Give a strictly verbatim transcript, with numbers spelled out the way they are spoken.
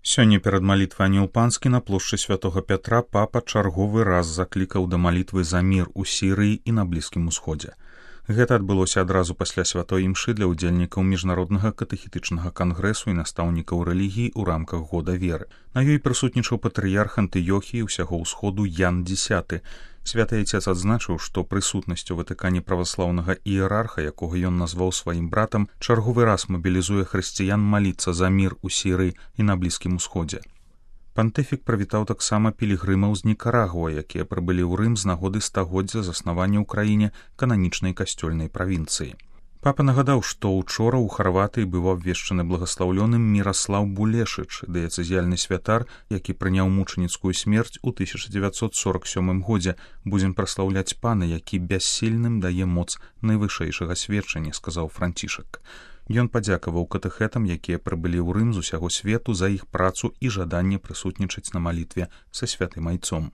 Сёння перад малітвай Анілпанскі на плошчы святога Пятра папа чарговы раз заклікаў да малітвы за мір у Сірыі і на Блізкім Усходзе. Гэта адбылося адразу пасля святой імшы для ўдзельнікаў міжнароднага катэхетычнага кангрэсу і настаўнікаў рэлігіі ў рамках года веры. На ёй прысутнічаў патрыярх Антыёхіі ўсяго ўсходу Ян Дзесяты. Святы Айцец адзначыў, што прысутнасць у Ватыкане праваслаўнага іерарха, якога ён назваў сваім братам, чарговы раз мабілізуе хрысціян маліцца за мір у Сірыі і на Блізкім Усходзе. Пантыфік прывітаў таксама пілігрымаў з Нікарагуа, якія прыбылі ў Рым з нагоды стагоддзя заснавання ў краіне кананічнай касцёльнай правінцыі. Папа нагадаў, што ўчора ў Харватыі быў абвешчаны благаслаўлёным Міраслаў Булешыч, дыяцэзіяльны святар, які прыняў мучаніцкую смерць у тысяча дзевяцьсот сорок сёмым годзе. Будзем праслаўляць пана, які бяссільным дае моц найвышэйшага сведчання, сказаў Францішак. Ён падзякаваў катэхетам, якія прыбылі ў Рым з усяго свету за іх працу і жаданне прысутнічаць на малітве са святым Айцом.